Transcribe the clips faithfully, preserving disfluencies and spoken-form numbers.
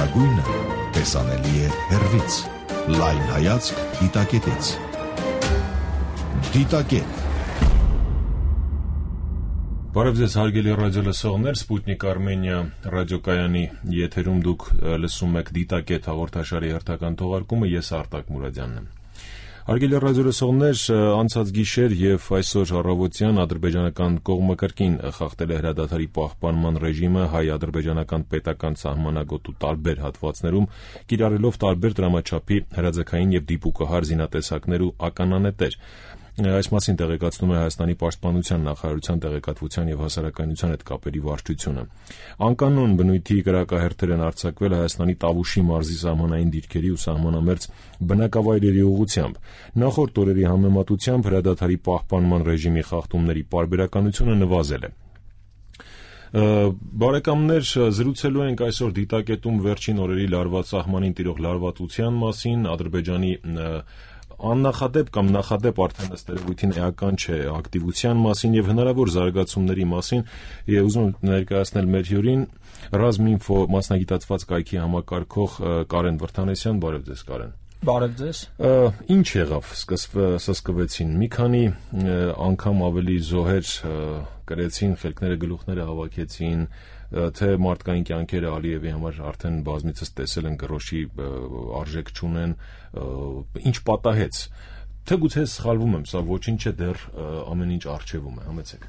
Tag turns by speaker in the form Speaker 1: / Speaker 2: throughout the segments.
Speaker 1: Լավագույնը տեսանելի է հեռվից։ Լայն հայացք դիտակետից։ Դիտակետ։
Speaker 2: Բարև ձեզ հարգելի ռադիոլսողներ, Սպուտնիկ Արմենիա ռադիոկայանի եթերում դուք լսում եք Դիտակետ հաղորդաշարի հերթական թողարկումը, ես Արտակ Մուրադյանն եմ։ Հարգելի ռադիոլսողներ, անցած գիշեր եւ այսօր առավոտյան ադրբեջանական կողմը կրկին խախտել է հրադադարի պահպանման ռեժիմը հայ-ադրբեջանական պետական սահմանագոտու տարբեր հատվածներում, կիրառելով տարբեր դրամաչափի հրաձգային եւ դիպուկահար զինատեսակներ ու ականանետեր։ Այս մասին տեղեկացնում է Հայաստանի պաշտպանության նախարարության տեղեկատվության եւ հասարակայնության հետ կապերի վարչությունը։ Անկանոն բնույթի կրակահերթեր են արձակվել Հայաստանի Տավուշի մարզի սահմանային դիրքերի ու սահմանամերձ բնակավայրերի ուղղությամբ։ Նախորդ օրերի համեմատությամբ հրադադարի պահպանման ռեժիմի խախտումների պարբերականությունը նվազել է։ Բարեկամներ, զրուցելու ենք այսօր դիտակետում վերջին օրերի լարված սահմանին տիրող լարվածության մասին, Ադրբեջանի աննախադեպ կամ նախադեպ արդեն ըստ երևույթին էական չէ ակտիվության մասին եւ հնարավոր զարգացումների մասին եւ ուզում եմ ներկայացնել մեր հյուրին Ռազմինֆո մասնագիտացված կայքի համակարգող Կարեն Վրդանեսյան։ Բարև ձեզ, Կարեն։
Speaker 3: Բարև ձեզ։
Speaker 2: Ինչ եղավ, սկսվեցին մի քանի անգամ ավելի զոհեր կրեցին, խելքները գլուխները հավաքեցին, թե մարդկային կյանքերը Ալիևի համար արդեն բազմիցս տեսել են գրոշի արժեք չունեն, ինչ պատահեց, թե գուցե սխալվում եմ, սա ոչինչ չէ, դեռ ամեն ինչ առջևում է, համեցեք։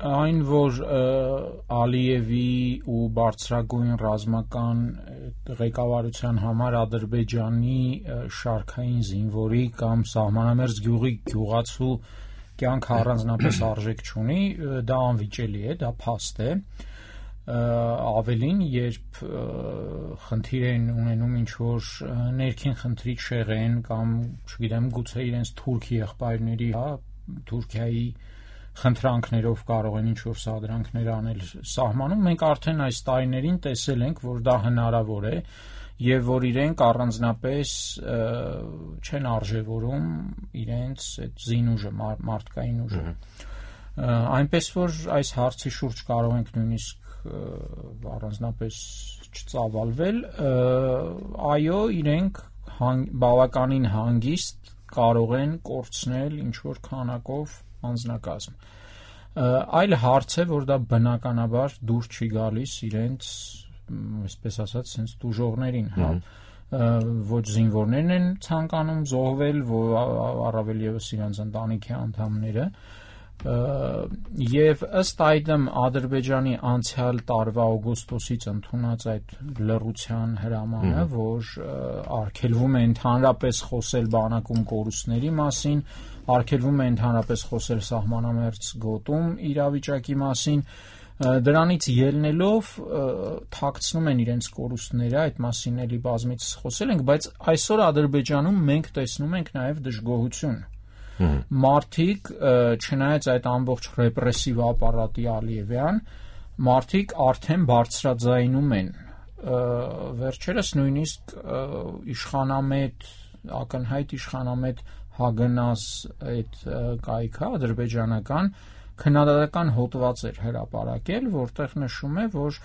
Speaker 3: Այն, որ Ալիևի ու բարձրագույն ռազմական ղեկավարության համար Ադրբեջանի շարքային զինվորի կամ սահմանամերձ գյուղի գյուղացու կյանքը առանձնապես արժեք չունի, դա անվիճելի է, դա փաստ է։ Ավելին, երբ խնդիր են ունենում ինչ-որ ներքին խնդրի չեղեն կամ, չգիտեմ, գուցե իրենց թուրք եղբայրների, հա, Թուրքիայի խնդրանքներով կարող են ինչ-որ սադրանքներ անել սահմանում, մենք արդեն այս տարիներին տեսել ենք, որ դա հնարավոր է եւ որ իրենք առանձնապես չեն արժևորում իրենց այդ զինուժը, մարդկային ուժը։ Այնպես որ այս հարցի շուրջ կարող ենք նույնիսկ առանձնապես չծավալվել, այո, իրենք բավականին հանգիստ կարող են կորցնել ինչ-որ քանակով անձնակազմ։ Այլ հարց է, որ դա բնականաբար դուր չի գալիս իրենց, այսպես ասած, sense դուժողներին, հա, ոչ զինվորներն են ցանկանում զոհվել, առավել եւս իրենց ընտանիքի անդամները, եւ ըստ այդմ Ադրբեջանի անցյալ տարվա օգոստոսից ընդունած այդ լռության հրամանը, որ արգելվում է ընդհանրապես խոսել բանակում կորուստների մասին, արգելվում է ընդհանրապես խոսել սահմանամերձ գոտում իրավիճակի մասին, դրանից ելնելով թաքցնում են իրենց կորուստները, այդ մասին էլի բազմիցս խոսել ենք, բայց այսօր Ադրբեջանում մենք տեսնում ենք նաեւ դժգոհություն։ Մարդիկ, չնայած այդ ամբողջ ռեպրեսիվ ապարատի Ալիևյան, մարդիկ արդեն բարձրաձայնում են, վերջերս նույնիսկ իշխանամետ, ակնհայտ իշխանամետ Հագնաս այդ կայքը ադրբեջանական քննադատական հոդված էր հրապարակել, որտեղ նշում է, որ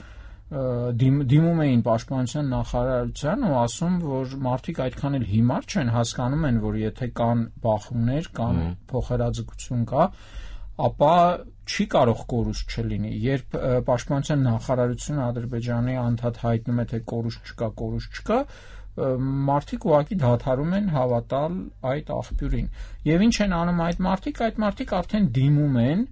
Speaker 3: դիմում էին պաշտպանության նախարարության ու ասում, որ մարդիկ այդքան էլ հիմար չեն, հասկանում են, որ եթե կան բախումներ կամ փոխհրաձգություն կա, ապա չի կարող կորուստ չլինի։ Երբ պաշտպանության նախարարությունը Ադրբեջանի անդադ հայտնում է, թե կորուստ չկա, կորուստ չկա, մարդիկ ուղղակի դադարում են հավատալ այդ աղբյուրին։ Եվ ինչ են անում այդ մարդիկ, այդ մարդիկ արդեն դիմում են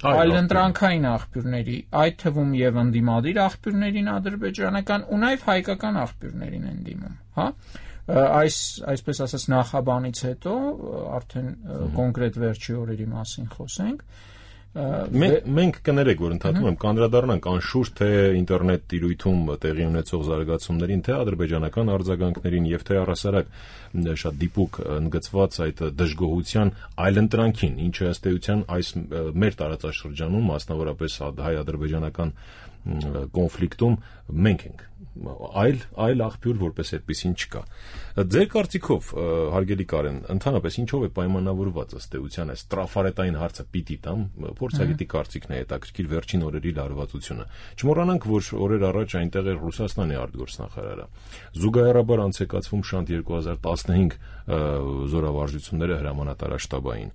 Speaker 3: այլընտրանքային աղբյուրների, այդ թվում եւ ընդդիմադիր աղբյուրներին ադրբեջանական ու նաեւ հայկական աղբյուրներին են դիմում, հա։ Այս այսպես ասած նախաբանից հետո արդեն կոնկրետ վերջի օրերի մասին խոսենք։
Speaker 2: Մենք կներեք, որ ընդհանրում եմ կանդրադառնանք անշուշտ թե ինտերնետ տիրույթում տեղի ունեցող զարգացումներին, թե ադրբեջանական արձագանքներին եւ թե առհասարակ շատ դիպուկ ընդգծված այդ դժգոհության այլընտրանքին, ինչը ըստ էության այս մեր տարածաշրջանում, մասնավորապես հայ-ադրբեջանական կոնֆլիկտում մենք ենք, այլ այլ աղբյուր որպես այդպեսին չկա։ Ձեր կարծիքով, հարգելի Կարեն, ընդհանրապես ինչով է պայմանավորված ըստ էության այս տրաֆարետային հարցը պիտի տամ, փորձագետի կարծիքն է հետաքրքիր վերջին օրերի լարվածությունը։ Չմոռանանք, որ օրեր առաջ այնտեղ էր Ռուսաստանի արտգործնախարարը։ Զուգահեռաբար անցեկացվում շանթ երկու հազար տասնհինգ զորավարժությունները հրամանատարաշտաբային։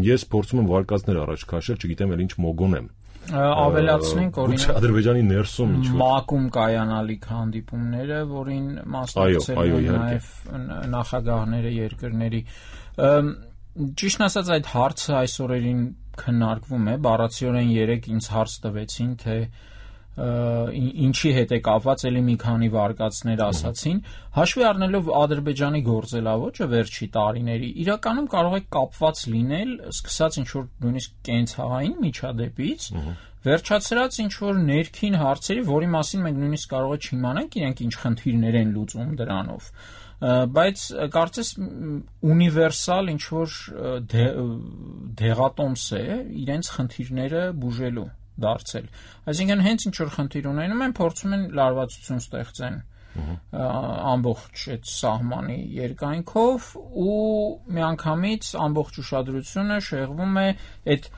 Speaker 2: Ես փորձում եմ վարկածներ առաջ քաշել, չգիտեմ էլ ինչ մոգոնեմ։
Speaker 3: Ավելացնենք օրինակ
Speaker 2: Ադրբեջանի ներսում ինչ
Speaker 3: մակում կայանալիք հանդիպումները, որին մասնակցել են նաև նախագահները երկրների։ Ճիշտն ասած, այդ հարցը այս օրերին քննարկվում է, բառացիորեն երեք ինձ հարց տվեցին, թե ինչի հետ է կապված, էլի մի քանի վարկածներ ասացին, հաշվի առնելով Ադրբեջանի գործելավոճը վերջի տարիների, իրականում կարող է կապված լինել, սկսած ինչ-որ նույնիսկ կենցաղային միջադեպից, վերջացրած ինչ-որ ներքին հարցերի, որի մասին մենք նույնիսկ կարող է չիմանանք իրենք ինչ խնդիրներ են լուծում դրանով, բայց կարծես ունիվերսալ ինչ-որ դեղատոմս է իրենց խնդիրները բուժելու դարձել։ Այսինքն հենց ինչ-որ խնդիր ունենում են, փորձում են լարվածություն ստեղծեն ամբողջ այդ սահմանի երկայնքով ու միանգամից ամբողջ ուշադրությունը շեղվում է այդ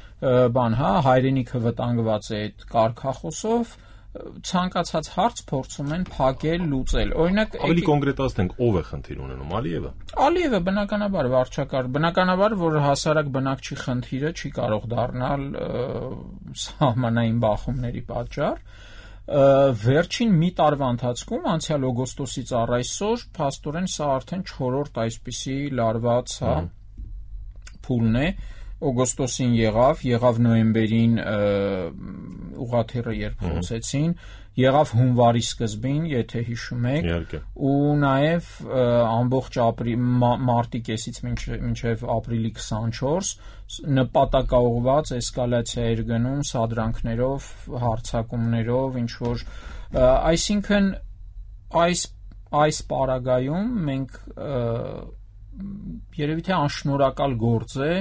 Speaker 3: բան, հա, հայրենիքը վտանգված է այդ կարգախոսով, ցանկացած հարց փորձում են փակել, լուծել։ Օրինակ,
Speaker 2: ավելի կոնկրետացնենք, ով է խնդիր ունենում, Ալիևը։
Speaker 3: Ալիևը բնականաբար վարչակարգ, բնականաբար, որ հասարակ բնակչի խնդիրը չի կարող դառնալ սահմանային բախումների պատճառ։ Վերջին մի տարվա ընթացքում, անցյալ օգոստոսից առ այսօր, փաստորեն սա արդեն չորրորդ այսպիսի լարված, հա, փուլն է։ Օգոստոսին եղավ, եղավ նոյեմբերին ուղղաթիռը երբ խոցեցին, եղավ հունվարի սկզբին, եթե հիշում եք, ու նաև ամբողջ մարտի կեսից մինչև ապրիլի քսանչորս նպատակաուղղված էսկալացիա էր գնում սադրանքներով, հարձակումներով, ինչ որ, այսինքն այս այս պարագայում մենք երևի թե անշնորհակալ գործ է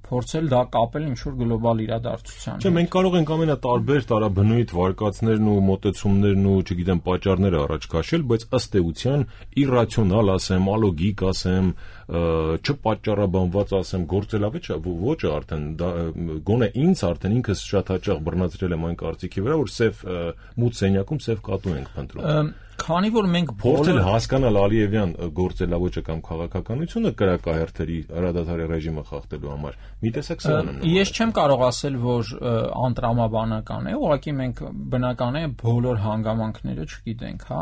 Speaker 3: փորձել դա կապել ինչ-որ գլոբալ իրադարձության հետ։
Speaker 2: Չէ, մենք կարող ենք ամենատարբեր տարաբնույթ վարկածներն ու մոտեցումներն ու, չգիտեմ, պատճառները առաջ քաշել, բայց ըստ էության իռացիոնալ ասեմ, ալոգիկ ասեմ, չպատճառաբանված ասեմ, գործելավեճ ոճը արդեն դա գոնե ինձ արդեն ինքս շատ հաճախ բռնացրել եմ այն կարծիքի վրա, որ սև մութ սենյակում սև կատու ենք փնտրում։
Speaker 3: Քանի որ մենք
Speaker 2: փորձել հասկանալ Ալիևյան գործելավոճը կամ քաղաքականությունը կրակահերթերի հրադադարի ռեժիմը խախտելու համար, մի տեսակ սրանն է։
Speaker 3: Ես չեմ կարող ասել, որ անտրամաբանական է, ուղղակի մենք բնական է բոլոր հանգամանքները չգիտենք, հա։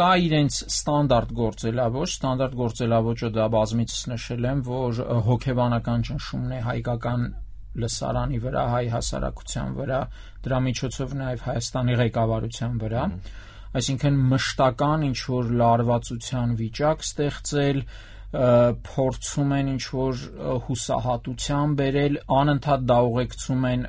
Speaker 3: Կա իրենց ստանդարտ գործելավոճ, ստանդարտ գործելավոճը դա բազմիցս նշել եմ, որ հոգեբանական ճնշումն է հայկական լսարանի վրա, հայ հասարակության վրա, դրա միջոցով նաև Հայաստանի ղեկավարության վրա։ Այսինքն մշտական ինչ-որ լարվածության վիճակ ստեղծել, փորձում են ինչ-որ հուսահատության բերել, անընդհատ դա ուղեկցում են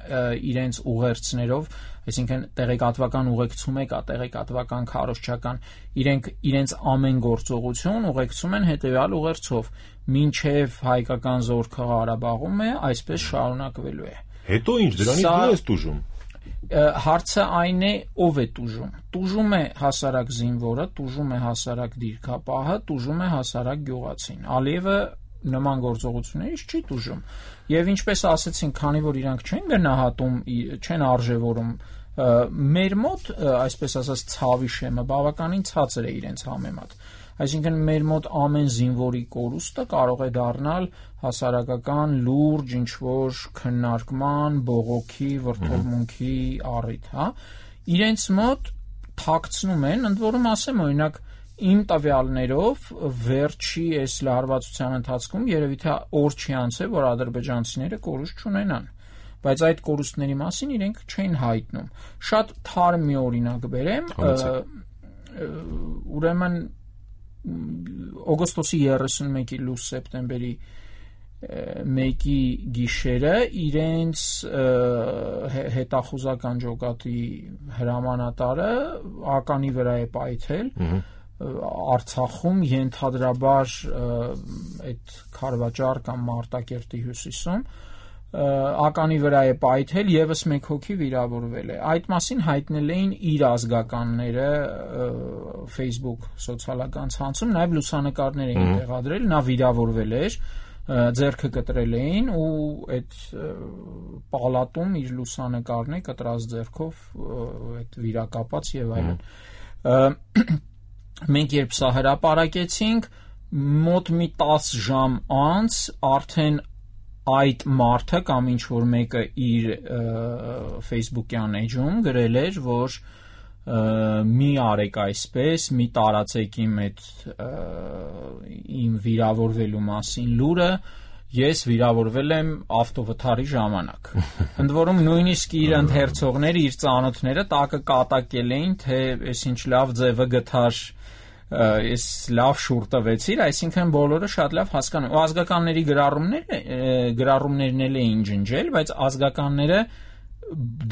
Speaker 3: իրենց ուղերձներով, այսինքն տեղեկատվական ուղեկցում է կա, տեղեկատվական քարոզչական, իրենք իրենց ամեն գործողություն ուղեկցում են հետևյալ ուղերձով, մինչև հայկական զորքը Ղարաբաղում է, այսպես շարունակվելու է։
Speaker 2: Հետո ինչ, դրանից դու ես տուժում։
Speaker 3: Հարցը այն է, ով է տուժում։ Տուժում է հասարակ զինվորը, տուժում է հասարակ դիրքապահը, տուժում է հասարակ գյուղացին։ Ալիևը նման գործողություններից չի տուժում։ Եվ ինչպես ասեցին, քանի որ իրանք չեն գնահատում, չեն արժևորում, մեր մոտ, այսպես ասած, ցավի շեմը բավականին ցածր է իրենց համեմատ։ Այսինքն մեր մոտ ամեն զինվորի կորուստը կարող է դառնալ հասարակական լուրջ ինչ-որ քննարկման, բողոքի, վրդովմունքի առիթ, հա։ Իրենց մոտ թաքցնում են, ընդ որում ասեմ, օրինակ իմ տվյալներով վերջի այս լարվածության ընթացքում երևի թե օր չի անցել, որ ադրբեջանցիները կորուստ չունենան, բայց այդ կորուստների մասին իրենք չէին հայտնում։ Շատ թարմ մի օրինակ բերեմ, ուրեմն օգոստոսի երեսունմեկի լույս սեպտեմբերի մեկի գիշերը իրենց հետախուզական ջոկատի հրամանատարը ականի վրա է պայթել Արցախում, ենթադրաբար այդ Քարվաճար կամ Մարտակերտի հյուսիսում, ականի վրա է պայթել, եւս մեկ հոգի վիրավորվել է։ Այդ մասին հայտնել էին իր ազգականները Facebook սոցիալական ցանցում, նաեւ լուսանկարներ էին տեղադրել, նա վիրավորվել էր, ձեռքը կտրել էին ու այդ պալատում իր լուսանկարն է կտրած ձեռքով այդ վիրակապած եւ այլն։ Մենք երբ սա հրապարակեցինք, մոտ մի տասը ժամ անց արդեն այդ մարդը կամ ինչ որ մեկը իր Facebook-յան էջում գրել էր, որ մի արեք այսպես, մի տարածեք իմ այդ իմ վիրավորվելու մասին լուրը, ես վիրավորվել եմ ավտովթարի ժամանակ։ Ընդ որում նույնիսկ իր ընթերցողները, իր ծանոթները տակը կատակել էին, թե այս ինչ լավ ձևը գտար, ես լավ շուր տվեցիր, այսինքն բոլորը շատ լավ հասկանում։ Ու ազգականների գրառումները գրառումներն էլ էին ջնջել, բայց ազգականները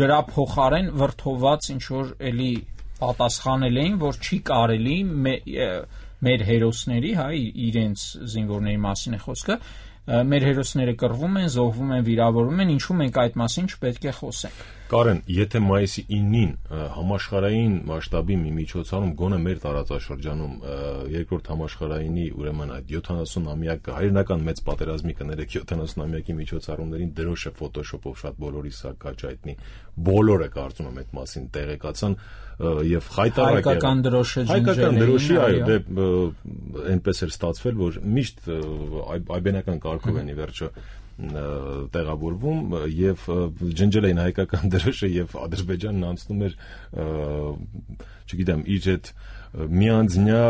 Speaker 3: դրա փոխարեն վրթոված ինչ որ էլի պատասխանել էին, որ չի կարելի մեր հերոսների, հա, իրենց զինվորների մասին է խոսքը, մեր հերոսները կռվում են, զոհվում են, վիրավորվում են, ինչու մենք այդ մասին չպետք է խոսենք։
Speaker 2: Կարեն, եթե մայիսի իննին համաշխարհային մասշտաբի մի միջոցառում գոնե մեր տարածաշրջանում երկրորդ համաշխարհայինի ուրեմն այդ յոթանասունամյակը հայրենական մեծ պատերազմի կներեք յոթանասունամյակի միջոցառումներին դրոշը ֆոտոշոպով շատ բոլորի սա կաճայտնի, բոլորը կարծում եմ այդ մասին տեղեկացան եւ խայտարակ
Speaker 3: հայկական դրոշը
Speaker 2: հայկական դրոշի, այո, դե այնպես էր ստացվել, որ միշտ այբենական կարգով են ի վերջո տեղավորվում եւ ջնջել էին հայկական դրոշը եւ Ադրբեջանն անցնում էր, չգիտեմ, իր այդ միանձնյա,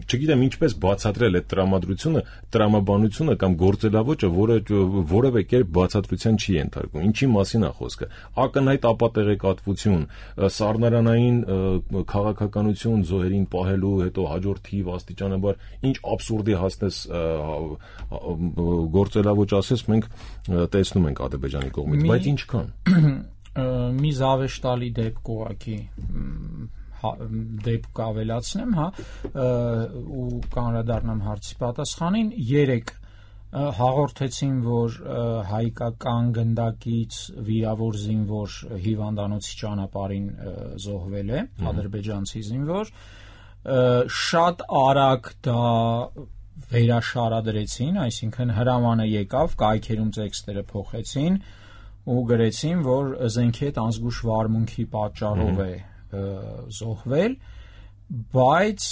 Speaker 2: չգիտեմ ինչպես բացատրել այդ տրամադրությունը, տրամաբանությունը կամ գործելավոճը, որը որևէ կերպ բացատրության չի ենթարկվում։ Ինչի մասին է խոսքը։ Ակնհայտ ապատեղեկատվություն, սառնարանային քաղաքականություն զոհերին պահելու, հետո հաջորդ թիվ աստիճանաբար ինչ աբսուրդի հասնես գործելավոճ ասես, մենք տեսնում ենք Ադրբեջանի կողմից, բայց ինչքան։
Speaker 3: Մի զավեշտալի դեպք ուղղակի դեպք ավելացնեմ, հա, ու կանրադառնամ հարցի պատասխանին, երեք հաղորդեցին, որ հայկական գնդակից վիրավոր զինվոր հիվանդանոցի ճանապարհին զոհվել է, ադրբեջանցի զինվոր, շատ արագ դա վերաշարադրեցին, այսինքն հրամանը եկավ, կայքերում տեքստերը փոխեցին ու գրեցին, որ զենքի հետ անզգույշ վարմունքի պատճառով է զոհվել, բայց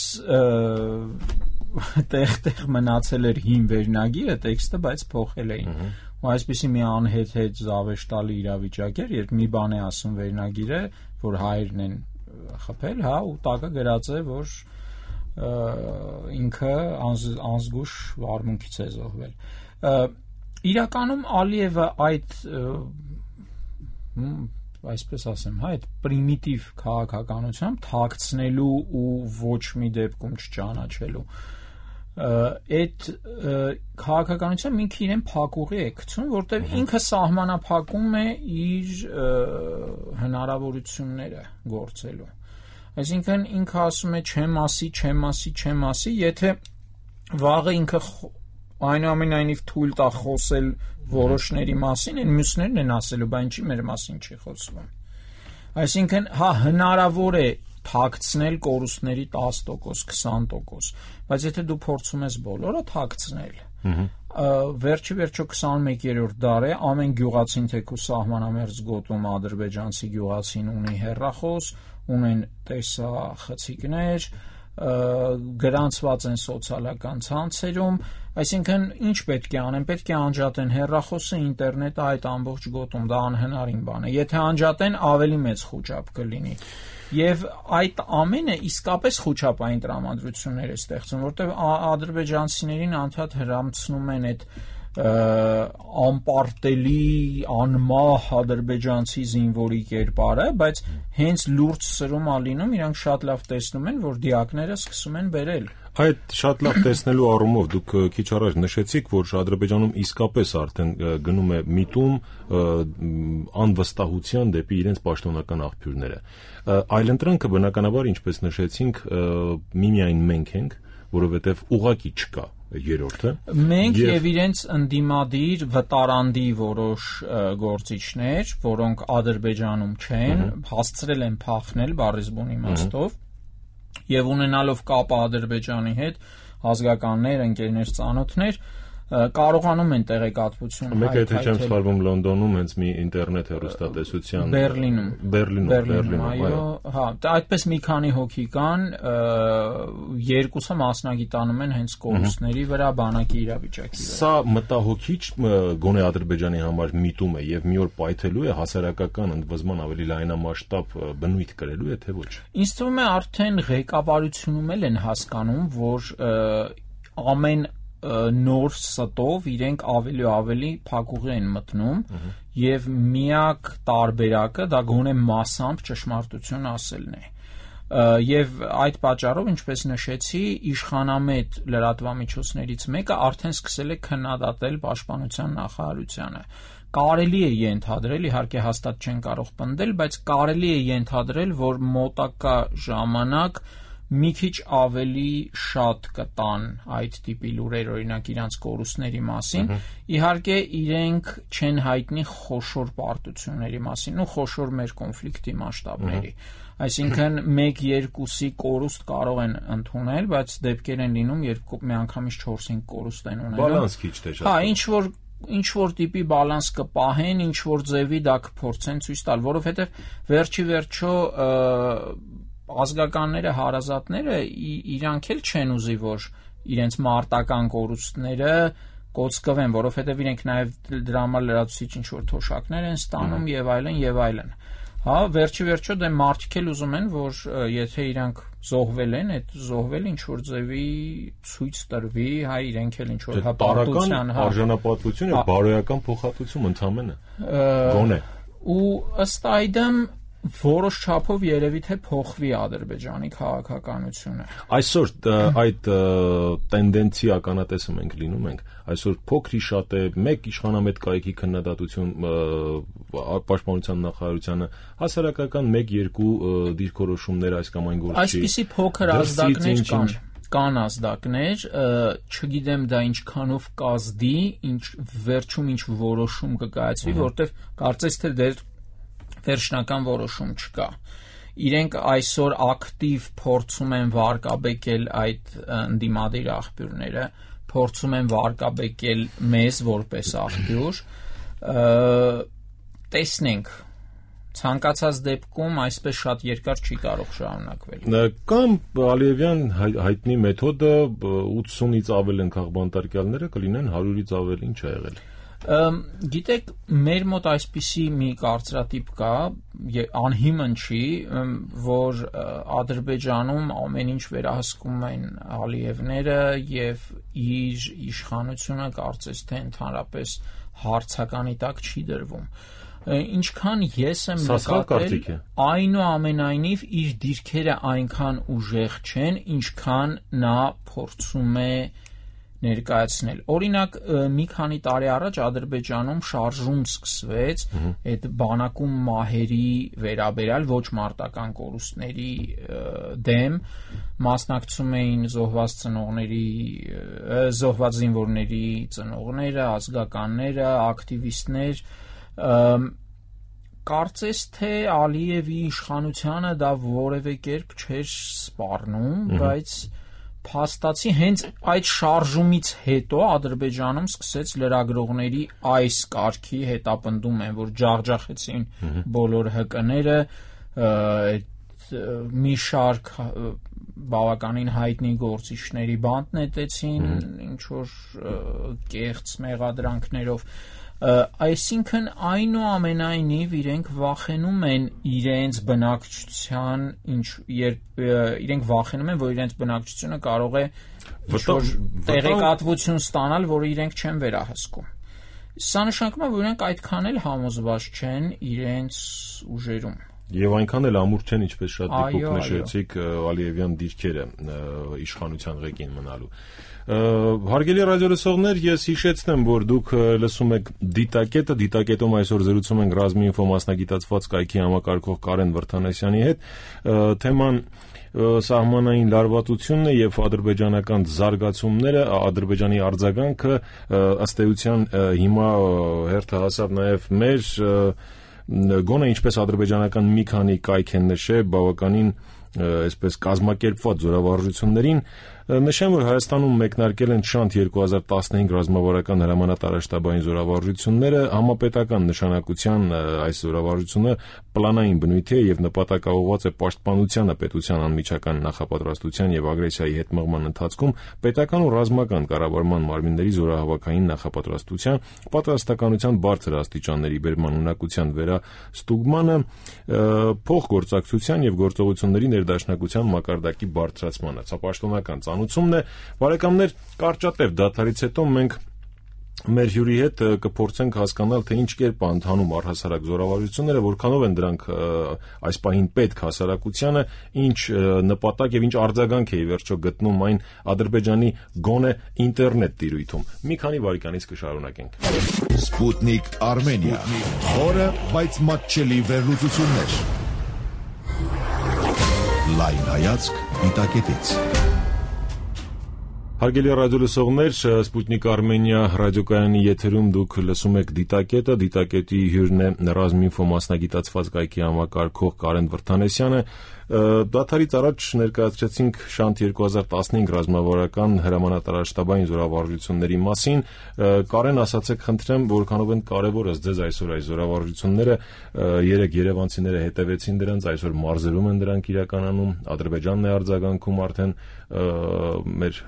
Speaker 3: տեղ-տեղ մնացել էր հին վերնագիրը, տեքստը, բայց փոխել էին։ Ու այսպեսի մի անհետ-հետ զավեշտալի իրավիճակ էր, երբ մի բան է ասում վերնագիրը, որ հայերն են խփել, հա, ու տակը գրած է, որ ինքը անզգույշ վարմունքից է զոհվել։ Իրականում Ալիևը այդ այսպես ասեմ, հա, այդ պրիմիտիվ քաղաքականությամբ թաքցնելու ու ոչ մի դեպքում չճանաչելու այդ քաղաքականությամբ ինքը իրեն փակուղի է գցում, որտեղ ինքը սահմանափակում է իր հնարավորությունները գործելու։ Այսինքն ինքը ասում է չեմ ասի, չեմ ասի, չեմ ասի, եթե վաղը ինքը այնուամենայնիվ թույլ տա խոսել որոշների մասին, այն մյուսներն են ասելու, բայց ինչի մեր մասին չի խոսվում։ Այսինքն, հա, հնարավոր է թաքցնել կորուստների տասը տոկոս, քսան տոկոս, բայց եթե դու փորձում ես բոլորը թաքցնել, վերջի վերջո քսանմեկերորդ դար է, ամեն գյուղացին թեկուզ սահմանամերձ գոտում ադրբեջանցի գյուղացին ունի հեռախոս, ունեն տեսախցիկներ, գրանցված են սոցիալական ցանցերում, այսինքն ինչ պետք է անեն, պետք է անջատեն հեռախոսը, ինտերնետը, այդ ամբողջ գոտում, դա անհնարին բան է։ Եթե անջատեն, ավելի մեծ խոճապ կլինի։ Եվ այդ ամենը իսկապես խոճապային տրամադրություններ է ստեղծում, որտեղ ադրբեջանցիներին անդադ հրամցնում են այդ անպարտելի, անմահ ադրբեջանցի զինվորի կերպարը, բայց հենց լուրջ սրում ա լինում, իրանք շատ լավ տեսնում են, որ դիակները սկսում են բերել։
Speaker 2: Այդ շատ լավ տեսնելու առումով դուք քիչ առաջ նշեցիք, որ Ադրբեջանում իսկապես արդեն գնում է միտում անվստահության դեպի իրենց պաշտոնական աղբյուրները։ Այլընտրանքը բնականաբար, ինչպես նշեցինք, միմիայն մենք ենք, որովհետև ուղղակի չկա երրորդը։
Speaker 3: Մենք եւ իրենց ընդդիմադիր վտարանդի որոշ գործիչներ, որոնք Ադրբեջանում չեն, հասցրել են փախնել բառիզբուն իմաստով եւ ունենալով կապ Ադրբեջանի հետ, ազգականներ, ընկերներ, ծանոթներ կարողանում են տեղեկատվություն
Speaker 2: հայտնել։ Մեկ եթե չեմ սխալվում Լոնդոնում հենց մի ինտերնետ հեռուստատեսության
Speaker 3: Բերլինում
Speaker 2: Բերլինում
Speaker 3: Բերլինում այո, հա, այդպես մի քանի հոգի կան, երկուսը մասնագիտանում են հենց կորուստների վրա, բանակի իրավիճակի վրա։
Speaker 2: Սա մտահոգիչ գոնե Ադրբեջանի համար միտում է եւ մի օր պայթելու է հասարակական ընդվզման ավելի լայնամասշտաբ բնույթ կրելու է թե ոչ։
Speaker 3: Ինձ թվում է արդեն ղեկավարությունում էլ են հասկանում, որ ամեն նոր ստով իրենք ավելի ու ավելի փակուղի են մտնում եւ միակ տարբերակը դա գոնե մասամբ ճշմարտություն ասելն է եւ այդ պատճառով ինչպես նշեցի իշխանամետ լրատվամիջոցներից մեկը արդեն սկսել է քննադատել պաշտպանության նախարարությանը կարելի է ենթադրել իհարկե հաստատ չեն կարող պնդել բայց կարելի է ենթադրել որ մոտակա ժամանակ մի քիչ ավելի շատ կտան այդ տիպի լուրեր օրինակ իրանց կորուստների մասին իհարկե իրենք չեն հայտնի խոշոր պարտությունների մասին ու խոշոր մեր կոնֆլիկտի մասշտաբների այսինքն մեկ երկուսի կորուստ կարող են ընդունել բայց դեպքեր են լինում երբ միանգամից չորս-հինգ կորուստ են ունենում
Speaker 2: բալանս քիչ թե շատ
Speaker 3: հա ինչ որ ինչ որ տիպի բալանս կպահեն ինչ որ ձևի դա կփորձեն ցույց տալ որովհետև վերջի վերջո ազգականները, հարազատները իրանք էլ չեն ուզի, որ իրենց մարտական կորուստները կոծկվեն, որովհետև իրենք նաև դրա համար լրացուցիչ ինչ-որ թոշակներ են ստանում եւ այլն եւ այլն։ Հա, վերջի վերջո դե մարդիկ էլ ուզում են, որ եթե իրանք զոհվել են, այդ զոհվել ինչ-որ ձևի ցույց տրվի, հա, իրենք էլ ինչ-որ հապարտության,
Speaker 2: հա, արժանապատվություն եւ բարոյական փոխհատուցում ընդամենը։ Գոնե։
Speaker 3: Ու ըստ այդմ որոշ չափով երևի թե փոխվի Ադրբեջանի քաղաքականությունը։
Speaker 2: Այսօր այդ տենդենցի ականատեսը մենք լինում ենք։ Այսօր փոքրի շատ է մեկ իշխանամետ կայքի քննադատություն պաշտպանության նախարարությանը, հասարակական մեկ-երկու դիրքորոշումներ այս կամ այն գործի։
Speaker 3: Այսպիսի փոքր ազդակներ կան։ Կան ազդակներ, չգիտեմ դա ինչքանով կազդի, ինչ վերջում ինչ որոշում կկայացվի, որտեղ կարծես թե դեռ վերջնական որոշում չկա։ Իրենք այսօր ակտիվ փորձում են վարկաբեկել այդ ընդդիմադիր աղբյուրները, փորձում են վարկաբեկել մեզ որպես աղբյուր։ Տեսնենք, ցանկացած դեպքում այսպես շատ երկար չի կարող շարունակվել։
Speaker 2: Կամ Ալիևյան հայտնի մեթոդը ութսունից ավել են քաղբանտարկյալները կլինեն հարյուրից ավել, ինչ է եղել։
Speaker 3: Գիտեք, մեր մոտ այսպիսի մի կարծրատիպ կա, անհիմն չի, որ Ադրբեջանում ամեն ինչ վերահսկում են Ալիևները եւ իր իշխանությունը կարծես թե ընդհանրապես հարցականի տակ չի դրվում։ Ինչքան ես եմ նկատել, այնուամենայնիվ իր դիրքերը այնքան ուժեղ չեն, ինչքան նա փորձում է ներկայացնել։ Օրինակ, մի քանի տարի առաջ Ադրբեջանում շարժում սկսվեց այդ բանակում մահերի վերաբերյալ ոչ մարտական կորուստների դեմ, մասնակցում էին զոհված ծնողների, զոհված զինվորների ծնողները, ազգականները, ակտիվիստներ, կարծես թե Ալիևի իշխանությանը դա որևէ կերպ չէր սպառնում, բայց փաստացի հենց այդ շարժումից հետո Ադրբեջանում սկսեց լրագրողների այս կարգի հետապնդում են, որ ջախջախեցին բոլոր հկները, մի շարք բավականին հայտնի գործիչների բանտ նետեցին, ինչ որ կեղծ մեղադրանքներով այսինքն այնուամենայնիվ իրենք վախենում են իրենց բնակչության ինչ երբ իրենք վախենում են որ իրենց բնակչությունը կարող է ինչ-որ տեղեկատվություն ստանալ որը իրենք չեն վերահսկում սա նշանակում է որ իրենք այդքան էլ համոզված չեն իրենց ուժերում
Speaker 2: Եվ այնքան էլ ամուր չեն, ինչպես շատ դեպքում նշեցիք Ալիևյան դիրքերը իշխանության ղեկին մնալու։ Հարգելի ռադիոլսողներ, ես հիշեցնեմ, որ դուք լսում եք Դիտակետը, Դիտակետում այսօր զրուցում ենք Ռազմի ինֆո մասնագիտացված կայքի համակարգող Կարեն Վրդանեսյանի հետ։ Թեման սահմանային լարվածությունն է եւ ադրբեջանական զարգացումները, Ադրբեջանի արձագանքը ըստ էության հիմա հերթը հասավ նաեւ մեր գոնե ինչպես ադրբեջանական մի քանի կայք են նշել բավականին այսպես կազմակերպված զորավարժություններին նշեմ, որ Հայաստանում մեկնարկել են շանթ երկու հազար տասնհինգ ռազմավարական հրամանատարաշտաբային զորավարժությունները, համապետական նշանակության այս զորավարժությունը պլանային բնույթի է եւ նպատակաուղղված է պաշտպանությանը պետության անմիջական նախապատրաստության եւ ագրեսիայի հետ մղման ընթացքում պետական ու ռազմական կառավարման մարմինների զորահավաքային նախապատրաստության, պատրաստականության բարձր աստիճանների բերման ունակության վերաստուգմանը, փոխգործակցության եւ գործողությունների ներդաշնակության մակարդակի բարձրացմանը, ցապաշտոնական ծանուցումն է։ Բարեկամներ, կարճատև դադարից հետո մենք մեր հյուրի հետ կփորձենք հասկանալ, թե ինչ կերպ է ընթանում առհասարակ զորավարժությունները, որքանով են դրանք այս պահին պետք հասարակությանը, ինչ նպատակ եւ ինչ արձագանք է ի վերջո գտնում այն Ադրբեջանի գոնե ինտերնետ տիրույթում։ Մի քանի վայրկյանից կշարունակենք։
Speaker 1: Sputnik Armenia. Խորը, բայց մատչելի վերլուծություններ։ Լայն հայացք դիտակետից։
Speaker 2: Հարգելի ռադիոլսողներ, Sputnik Armenia ռադիոկայանի եթերում դուք լսում եք դիտակետը, դիտակետի հյուրն է Ռազմինֆո մասնագիտացված կայքի համակարգող Կարեն Վրդանեսյանը։ Դադարից առաջ ներկայացրեցինք շանթ երկու հազար տասնհինգ ռազմավարական հրամանատարաշտաբային զորավարժությունների մասին։ Կարեն, ասացեք խնդրեմ, որքանով են կարևոր ըստ ձեզ այսօր այս զորավարժությունները, երեք երևանցիները հետևեցին դրանց, այսօր մարզերում են դրանք իրականանում, Ադրբեջանն է արձագանքում արդեն մեր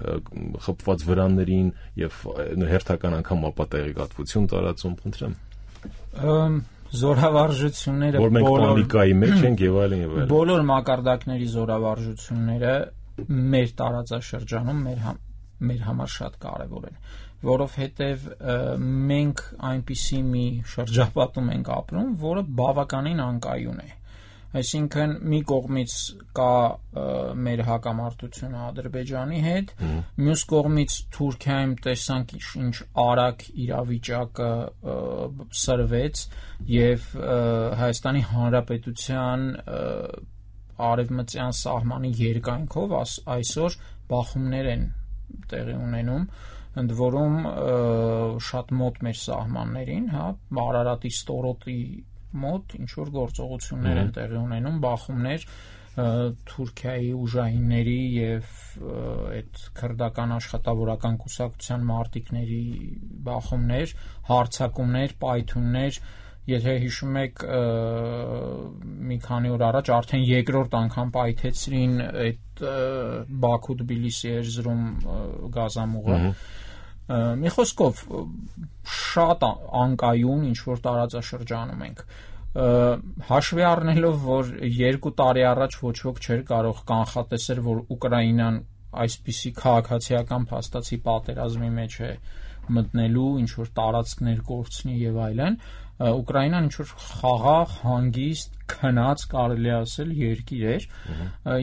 Speaker 2: խփված վրաններին եւ հերթական անգամ ապա տեղեկատվություն տարածում, խնդրեմ։
Speaker 3: Զորավարժությունները
Speaker 2: որ մենք պանիկայի մեջ ենք եւ այլն եւ այլն։
Speaker 3: Բոլոր մակարդակների զորավարժությունները մեր տարածաշրջանում մեր համ, մեր համար շատ կարեւոր են, որովհետեւ մենք այնպիսի մի շրջապատում ենք ապրում, որը բավականին անկայուն է։ Այսինքն մի կողմից կա մեր հակամարտությունը Ադրբեջանի հետ, մյուս կողմից Թուրքիայում տեսանք ինչ արագ իրավիճակը սրվեց եւ Հայաստանի Հանրապետության արևմտյան սահմանի երկայնքով այսօր բախումներ են տեղի ունենում, ընդ որում շատ մոտ մեր սահմաններին, հա, Արարատի ստորոտի մոտ ինչ որ գործողություններ են տեղի ունենում, բախումներ Թուրքիայի ուժայինների եւ այդ քրդական աշխատավորական կուսակցության մարտիկների բախումներ, հարձակումներ, պայթյուններ, եթե հիշում եք մի քանի օր առաջ արդեն երկրորդ անգամ պայթեցրին այդ Բաքու-Թբիլիսի երզրում գազամուղը։ Մի խոսքով շատ անկայուն ինչ որ տարածաշրջանում ենք, հաշվի առնելով, որ երկու տարի առաջ ոչ ոք չէր կարող կանխատեսել, որ Ուկրաինան այսպիսի քաղաքացիական փաստացի պատերազմի մեջ է մտնելու, ինչ որ տարածքներ կորցնի եւ այլն, Ուկրաինան ինչ որ խաղաղ, հանգիստ, քնած կարելի ասել երկիր էր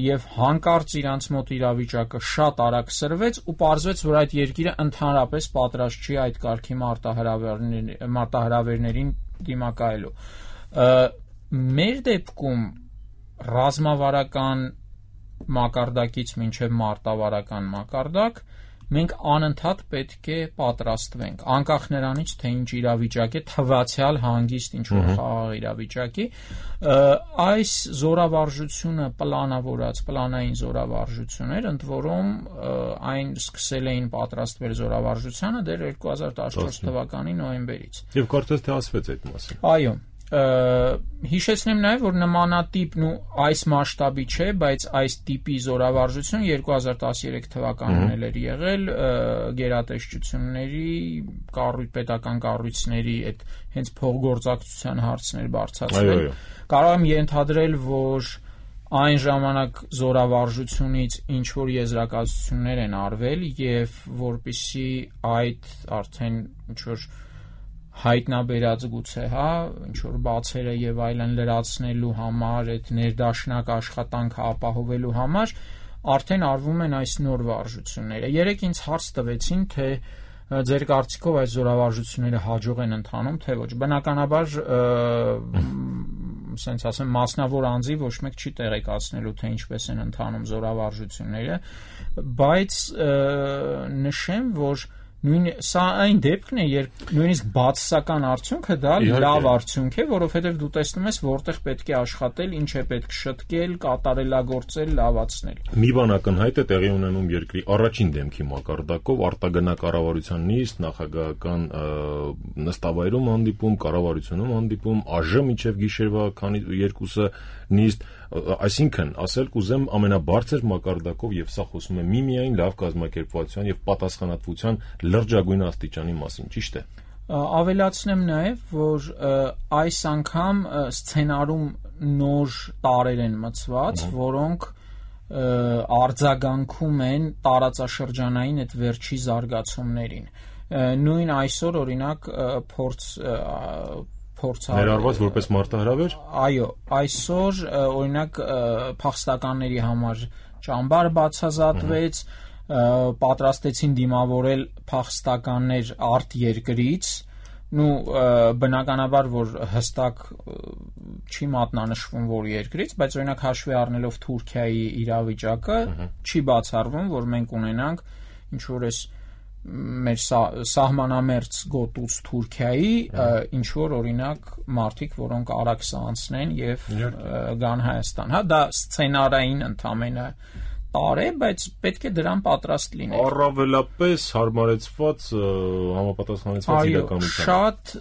Speaker 3: եւ հանկարծ իրանց մոտ իրավիճակը շատ արագ սրվեց ու պարզվեց, որ այդ երկիրը ընդհանրապես պատրաստ չի այդ կարգի մարտահրավերներին դիմակայելու։ Մեր դեպքում ռազմավարական մակարդակից մինչև մարտավարական մակարդակ մենք անընդհատ պետք է պատրաստվենք, անկախ նրանից, թե ինչ իրավիճակ է, թվացյալ հանգիստ ինչ-որ խաղաղ իրավիճակի, այս զորավարժությունը պլանավորած, պլանային զորավարժություններ, ընդ որում այն սկսել էին պատրաստվել զորավարժությանը դեռ երկու հազար տասնչորս թվականի նոյեմբերից։
Speaker 2: Եվ կարծես թե ասվեց այդ մասին։
Speaker 3: Այո։ Հիշեցնեմ նաև, որ նմանատիպն ու այս մասշտաբի չէ, բայց այս տիպի զորավարժություն երկու հազար տասներեք թվականին էր եղել գերատեսչությունների, պետական կառույցների այդ հենց փոխգործակցության հարցներ բարձրացվել։ Կարող եմ ենթադրել, որ այն ժամանակ զորավարժությունից ինչ որ եզրակացություններ են արվել եւ որպիսի այդ արդեն ինչ որ հայտնաբերած գուցե, հա, ինչ որ բացերը եւ այլն լրացնելու համար, այդ ներդաշնակ աշխատանքը ապահովելու համար արդեն արվում են այս նոր վարժությունները։ Երեք ինձ հարց տվեցին, թե ձեր կարծիքով այս զորավարժությունները հաջող են ընթանում, թե ոչ։ Բնականաբար ասենց ասեմ մասնավոր անձի ոչ մեկ չի տեղեկացնելու թե ինչպես են ընթանում զորավարժությունները, բայց նշեմ, որ նույն սա այն դեպքն է, երբ նույնիսկ բացասական արդյունքը դա լավ արդյունք է, որովհետև դու տեսնում ես որտեղ պետք է աշխատել, ինչ է պետք շտկել, կատարելագործել, լավացնել։
Speaker 2: Մի բան ակնհայտ է տեղի ունենում երկրի առաջին դեմքի մակարդակով, արտագնա կառավարության նիստ, նախագահական նստավայրում հանդիպում, կառավարությունում հանդիպում, ԱԺ մինչև գիշերվա քանի երկուսը նիստ, այսինքն ասել կուզեմ ամենաբարձր մակարդակով, եւ սա խոսում է միմիայն լավ կազմակերպվածության եւ պատասխանատվության լրջագույն աստիճանի մասին, ճիշտ է։
Speaker 3: Ավելացնեմ նաև, որ այս անգամ սցենարում նոր տարրեր են մտցված, որոնք արձագանքում են տարածաշրջանային այդ վերջի զարգացումներին։ Նույն այսօր օրինակ փորձ
Speaker 2: ներառված որպես մարտահրավեր։
Speaker 3: Այո, այսօր օրինակ փախստականների համար ճամբար բացազատվեց, պատրաստեցին դիմավորել փախստականներ արտերկրից, նու բնականաբար որ հստակ չի մատնանշվում որ երկրից, բայց օրինակ հաշվի առնելով Թուրքիայի իրավիճակը չի բացառվում, որ մենք ունենանք ինչ որ էս մեր սահմանամերձ գոտուց Թուրքիայի ինչ որ օրինակ մարդիկ, որոնք արաքս անցնեն եւ գան Հայաստան, հա, դա սցենարային ընդամենը տարր է, բայց պետք է դրան պատրաստ լինել։
Speaker 2: Առավելապես հարմարեցված համապատասխանեցված իրականության։
Speaker 3: Շատ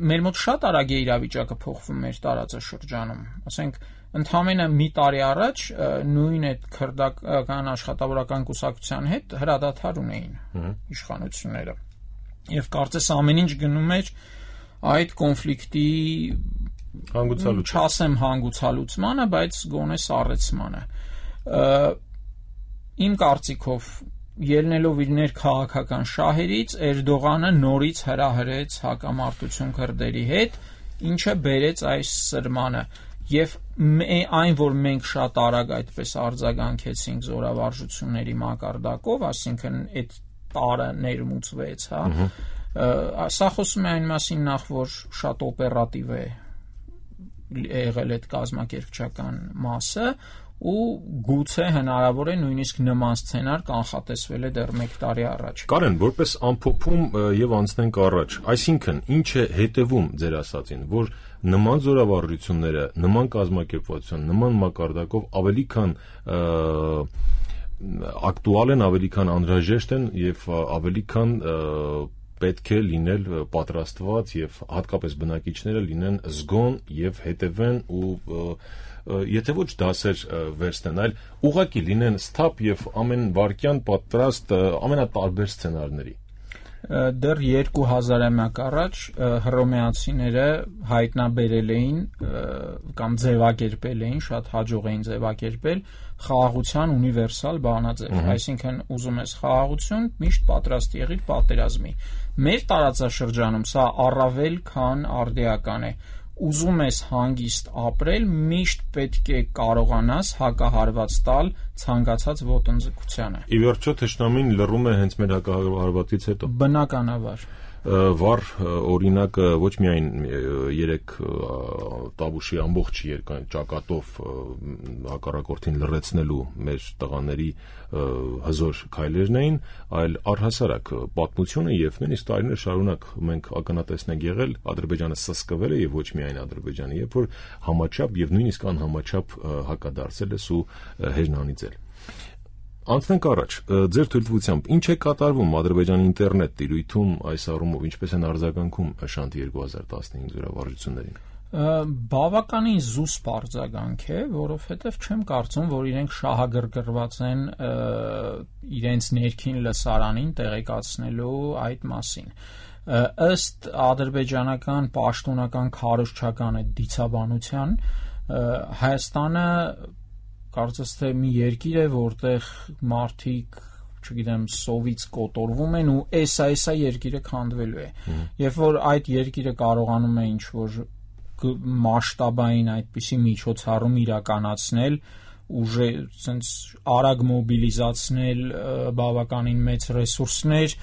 Speaker 3: մեր մոտ շատ արագ է իրավիճակը փոխվում մեր տարածաշրջանում, ասենք ընդամենը մի տարի առաջ նույն այդ քրդական աշխատավորական կուսակցության հետ հրադադար ունեին իշխանությունները եւ կարծես ամեն ինչ գնում էր այդ կոնֆլիկտի
Speaker 2: հանգուցալուց
Speaker 3: չասեմ հանգուցալուծմանը, բայց գոնե սառեցմանը։ Իմ կարծիքով ելնելով իր ներքաղաքական շահերից Էրդողանը նորից հրահրեց հակամարտություն քրդերի հետ, ինչը բերեց այս սրմանը եւ այն, որ մենք շատ արագ այդպես արձագանքեցինք զորավարժությունների մակարդակով, այսինքն այդ տարը ներմուծվեց, հա, սա խոսում է այն մասին նախ, որ շատ օպերատիվ է եղել այդ կազմակերպչական մասը ու գուցե հնարավոր է նույնիսկ նման սցենար կանխատեսվել է դեռ մեկ տարի առաջ։
Speaker 2: Կարեն, որպես ամփոփում եւ անցնենք առաջ, այսինքն ինչ է հետևում ձեր ասածին, որ նման զորավարժությունները, նման կազմակերպվածություն, նման մակարդակով ավելի քան ակտուալ են, ավելի քան անհրաժեշտ են եւ ավելի քան պետք է լինել պատրաստված եւ հատկապես բնակիչները լինեն զգոն եւ հետևեն ու եթե ոչ դասեր վերցնեն, այլ ուղղակի լինեն սթափ եւ ամեն վարքյան պատրաստ ամենատարբեր սցենարների։
Speaker 3: Դեռ երկու հազարամյակ առաջ հռոմեացիները հայտնաբերել էին կամ ձևակերպել էին, շատ հաջող էին ձևակերպել խաղաղության ունիվերսալ բանաձև, այսինքն ուզում ես խաղաղություն, միշտ պատրաստ եղիր պատերազմի։ Մեր տարածաշրջանում սա առավել քան արդիական է։ Ուզում ես հանգիստ ապրել, միշտ պետք է կարողանաս հակահարված տալ ցանկացած ոտնձգությանը։
Speaker 2: Ի վերջո թշնամին լռում է հենց մեր հակահարվածից հետո։
Speaker 3: Բնականաբար։
Speaker 2: Վառ օրինակը ոչ միայն երեք Տավուշի ամբողջ երկայն ճակատով հակառակորդին լռեցնելու մեր տղաների հզոր քայլերն էին, այլ առհասարակ պատմությունը եւ նույնիսկ տարիներ շարունակ մենք ակնատեսն ենք եղել Ադրբեջանը սսկվել է եւ ոչ միայն Ադրբեջանը, երբ որ համաչափ եւ նույնիսկ անհամաչափ հակադարձել է ու հեժնանիցել։ Անցնենք առաջ, ձեր թույլտվությամբ, ինչ է կատարվում Ադրբեջանի ինտերնետ տիրույթում այս առումով, ինչպես են արձագանքում Շանթի երկու հազար տասնհինգ զորավարժություններին։
Speaker 3: Բավականին զուսպ արձագանք է, որովհետև չեմ կարծում, որ իրենք շահագրգռված են իրենց ներքին լսարանին տեղեկացնելու այդ մասին։ Ըստ ադրբեջանական պաշտոնական քարոզչական այդ դիցաբանության Հայաստանը կարծես թե մի երկիր է, որտեղ մարդիկ, չգիտեմ, սովից կոտորվում են ու էսա-էսա երկիրը քանդվելու է։ Երբ որ այդ երկիրը կարողանում է ինչ-որ մասշտաբային այդպիսի միջոցառում իրականացնել, ուժը ցենց արագ մոբիլիզացնել բավականին մեծ ռեսուրսներ,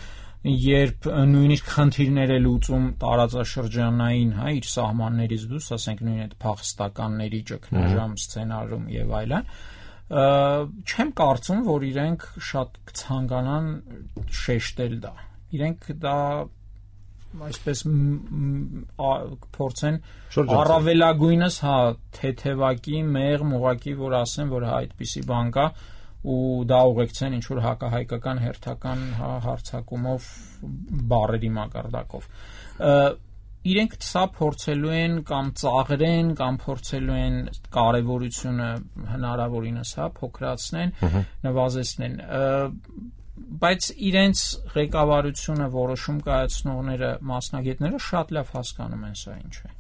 Speaker 3: երբ նույնիսկ խնդիրներ է լուծում տարածաշրջանային, հա, իր սահմաններից դուրս, ասենք նույն այդ փախստականների ճգնաժամ սցենարում եւ այլն, չեմ կարծում, որ իրենք շատ կցանկանան շեշտել դա։ Իրենք դա այսպես փորձեն առավելագույնս, հա, թեթևակի, մեղմ, ուղղակի, որ ասեն, որ հա այդպիսի բան կա ու դա ուղեկցեն ինչ որ հակահայկական հերթական հարցակումով բառերի մակարդակով։ Իրենք սա փորձելու են կամ ծաղրեն կամ փորձելու են կարևորությունը հնարավորինս, հա, փոքրացնեն, նվազեցնեն, բայց իրենց ղեկավարությունը, որոշում կայացնողները, մասնագետները շատ լավ հասկանում են սա ինչ է։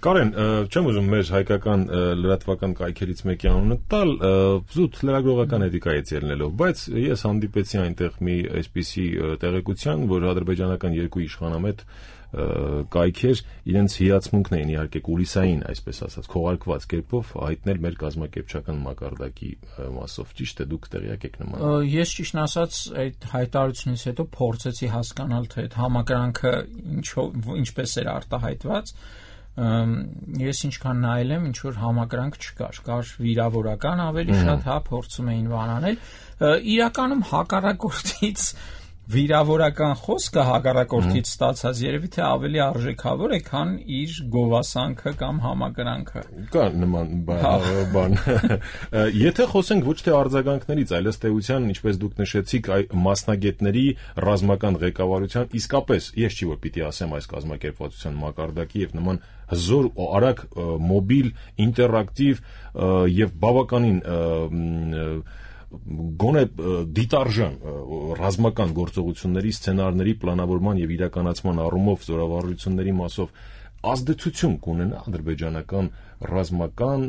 Speaker 2: Կարեն, չեմ ուզում մեր հայկական լրատվական կայքերից մեկի անունը տալ, զուտ լրագրողական էթիկայից ելնելով, բայց ես հանդիպեցի այնտեղ մի այսպիսի տեղեկության, որ ադրբեջանական երկու իշխանամետ կայքեր իրենց հիացմունքն էին իհարկե կուլիսային, այսպես ասած, քողարկված կերպով հայտնել մեր կազմակերպչական մակարդակի մասով, ճիշտ է, դուք տեղյակ եք նման։
Speaker 3: Ես ճիշտն ասած այդ հայտարարությունից հետո փորձեցի հասկանալ, թե այդ համակրանքը ինչպես էր արտահայտված։ Ես ինչքան նայել եմ, ինչ որ համակրանք չկար, կար վիրավորական ավելի շատ, հա, փորձում էին վանանել, իրականում հակառակորդից վիրավորական խոսքը հակառակորդից ստացած երևի թե ավելի արժեքավոր է, քան իր գովասանքը կամ համակրանքը։
Speaker 2: Կա նման բան։ Եթե խոսենք ոչ թե արձագանքներից, այլ ըստ էության, ինչպես դուք նշեցիք, մասնագետների ռազմական ղեկավարության, իսկապես ես չի որ պիտի ասեմ այս կազմակերպվածության մակարդակի եւ նման հզոր ու արագ մոբիլ, ինտերակտիվ եւ բավականին գոնե դիտարժան ռազմական գործողությունների սցենարների պլանավորման եւ իրականացման առումով զորավարժությունների մասով ազդեցություն կունենա ադրբեջանական ռազմական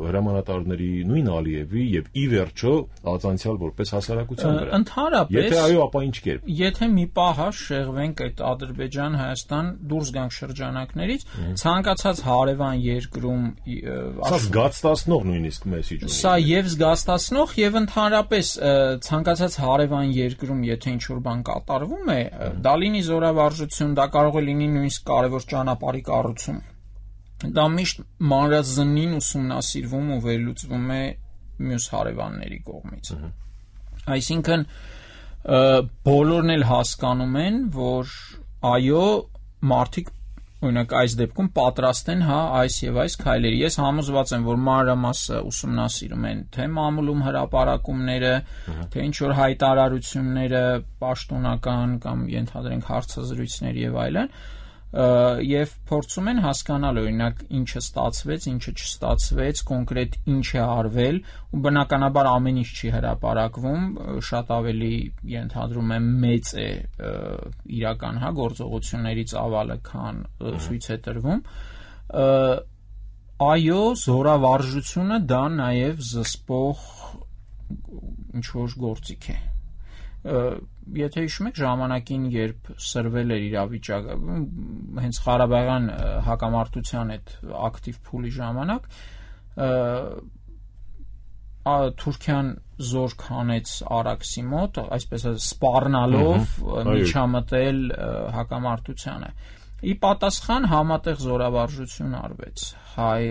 Speaker 2: հրամանատարների նույն Ալիևի եւ ի վերջո ածանցիալ որպես հասարակության վրա։
Speaker 3: Ընդհանրապես,
Speaker 2: եթե այո, ապա ինչ կերպ։
Speaker 3: Եթե մի պահ շեղվենք այդ Ադրբեջան-Հայաստան դուրս գանք շրջանակներից, ցանկացած հարևան երկրում
Speaker 2: սա զգացտացնող նույնիսկ մեսիջ ունի։
Speaker 3: Սա եւ զգացտացնող եւ ընդհանրապես ցանկացած հարևան երկրում, եթե ինչ-որ բան կատարվում է, դա լինի զորավարժություն, դա կարող է լինի նույնիսկ կարևոր ճանապարհի կառուցում։ Դա միշտ մանրազնին ուսումնասիրվում ու վերլուծվում է մյուս հարևանների կողմից։ Այսինքն բոլորն էլ հասկանում են, որ այո, մարդիկ օրինակ այս դեպքում պատրաստ են, հա, այս եւ այս քայլերի։ Ես համոզված եմ, որ մանրամասը ուսումնասիրում են թե մամուլում հրապարակումները, թե ինչ որ հայտարարությունները, պաշտոնական կամ ենթադրենք հարցազրույցներ եւ այլն, եւ փորձում են հասկանալ օրինակ ինչը ստացվեց, ինչը չստացվեց, կոնկրետ ինչ է արվել ու բնականաբար ամեն ինչ չի հրապարակվում, շատ ավելի ենթադրում եմ մեծ է իրական, հա, գործողությունների ծավալը, քան ցույց է տրվում։ Այո, զորավարժությունը դա նաեւ զսպող ինչ որ գործիք է։ Եթե հիշում եք ժամանակին, երբ սրվել էր իրավիճակը, հենց Ղարաբաղյան հակամարտության այդ ակտիվ փուլի ժամանակ, Թուրքիան զորք հանեց Արաքսի մոտ, այսպես սպառնալով միջամտել հակամարտությանը։ Ի պատասխան համատեղ զորավարժություն արվեց հայ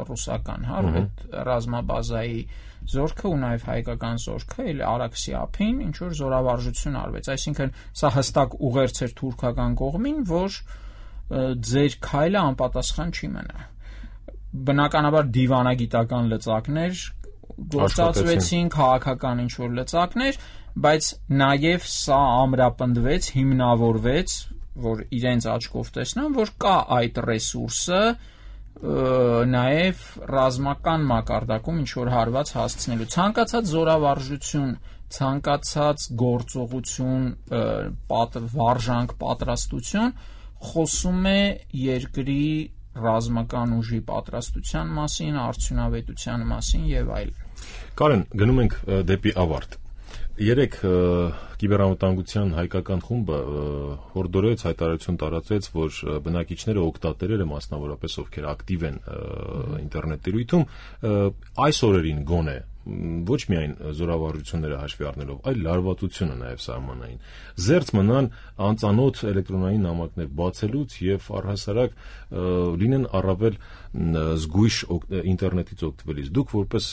Speaker 3: ռուսական, հա, այդ ռազմաբազայի զորքը ու նաև հայկական զորքը էլ Արաքսի ափին ինչ որ զորավարժություն արվեց, այսինքն սա հստակ ուղերձ էր թուրքական կողմին, որ ձեր քայլը անպատասխան չի մնա։ Բնականաբար դիվանագիտական լծակներ գործածվեցին, քաղաքական ինչ որ լծակներ, բայց նաև սա ամրապնդվեց, հիմնավորվեց, որ իրենց աչքով տեսնան, որ կա այդ ռեսուրսը նաև ռազմական մակարդակում ինչ որ հարված հասցնելու, ցանկացած զորավարժություն, ցանկացած գործողություն, վարժանք, պատրաստություն խոսում է երկրի ռազմական ուժի պատրաստության մասին, արդյունավետության մասին եւ այլն։
Speaker 2: Կարեն, գնում ենք դեպի ավարտ։ Երեք կիբերանվտանգության հայկական խումբը հորդորեց, հայտարարություն տարածեց, որ բնակիչները, օգտատերերը, մասնավորապես ովքեր ակտիվ են ինտերնետ տիրույթում, այս օրերին գոնե ոչ միայն զորավարժությունները հաշվի առնելով, այլ լարվածությունը նաև սահմանային։ Զերծ մնան անծանոթ էլեկտրոնային նամակներ բացելուց եւ առհասարակ լինեն առավել զգույշ ինտերնետից օգտվելիս։ Դուք որպես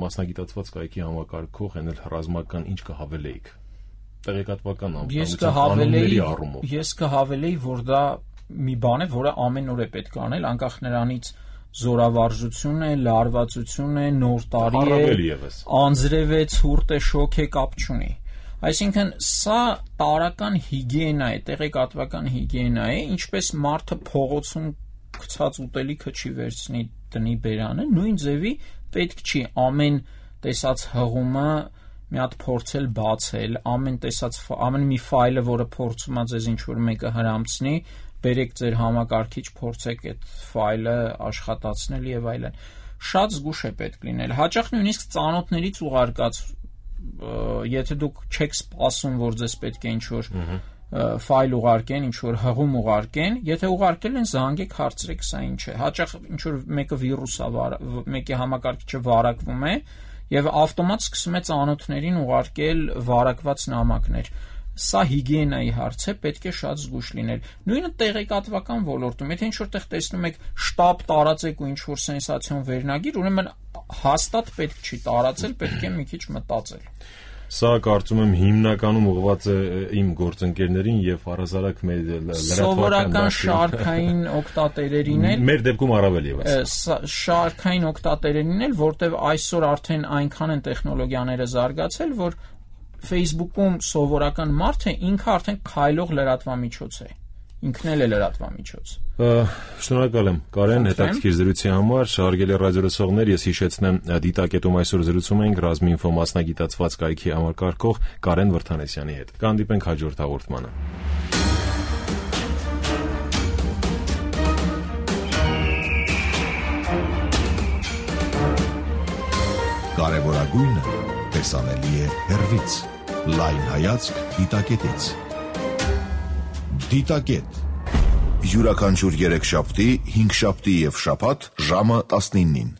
Speaker 2: մասնագիտացված կայքի համակարգող են էլ ռազմական ինչ կհավելեիք։ Տեղեկատվական
Speaker 3: անձնանների առումով։ Ես կհավելեի, որ դա մի բան է, որը ամեն օր է պետք անել, անկախ նրանից զորավարժություն է, լարվածություն է, նոր տարի է, անձրև է, ցուրտ է, շոկ է, կապ չունի։ Այսինքն սա տարական հիգիենա է, տեղեկատվական հիգիենա է, ինչպես մարդը փողոցում գցած ուտելիքը չի վերցնի տնի բերանը, նույն ձևի պետք չի ամեն տեսած հղումը մի հատ փորձել բացել, ամեն տեսած ամեն մի ֆայլը, որը փորձում է ձեզ ինչ-որ մեկը հրամցնի, բերեք ձեր համակարգիչ, փորձեք այդ ֆայլը աշխատացնել եւ այլն։ Շատ զգուշ է պետք լինել։ Հաճախ նույնիսկ ծանոթներից ուղարկած, եթե դուք չեք սպասում, որ ձեզ պետք է ինչ-որ ֆայլ ուղարկեն, ինչ-որ հղում ուղարկեն, եթե ուղարկել են, զանգեք, հարցրեք, սա ինչ է։ Հաճախ ինչ-որ մեկը վիրուս է, մեկի համակարգիչը վարակվում է եւ ավտոմատ սկսում է ծանոթներին ուղարկել վարակված նամակներ։ Սա հիգիենայի հարց է, պետք է շատ զգուշ լինել։ Նույնը տեղեկատվական ոլորտում, եթե ինչ-որ տեղ տեսնում եք շտապ տարածեք ու ինչ-որ սենսացիոն վերնագիր, ուրեմն հաստատ պետք չի տարածել, պետք է մի քիչ մտածել։
Speaker 2: Սա կարծում եմ հիմնականում ուղղված է իմ գործընկերներին եւ առհասարակ մեր լրատվական
Speaker 3: սովորական շարքային օգտատերերին էլ
Speaker 2: մեր դեպքում առավել եւս
Speaker 3: շարքային օգտատերերին էլ, որտեւ այսօր արդեն այնքան են տեխնոլոգիաները զարգացել, որ Facebook-ում սովորական մարդը ինքը արդեն քայլող լրատվամիջոց է։ Ինքն էլ է լրատվամիջոց։
Speaker 2: Շնորհակալ եմ Կարեն հետաքրքիր զրույցի համար։ Հարգելի ռադիոլսողներ, ես հիշեցնեմ դիտակետում այսօր զրուցում էինք Ռազմինֆո մասնագիտացված կայքի համակարգող Կարեն Վրդանեսյանի հետ։ Կհանդիպենք հաջորդ հաղորդմանը։
Speaker 1: Կարևորագույնը տեսանելի է հեռվից, լայն հայացք դիտակետից։ Դիտակետ յուրաքանչյուր երեքշաբթի, հինգշաբթի և շաբաթ ժամը տասնինին։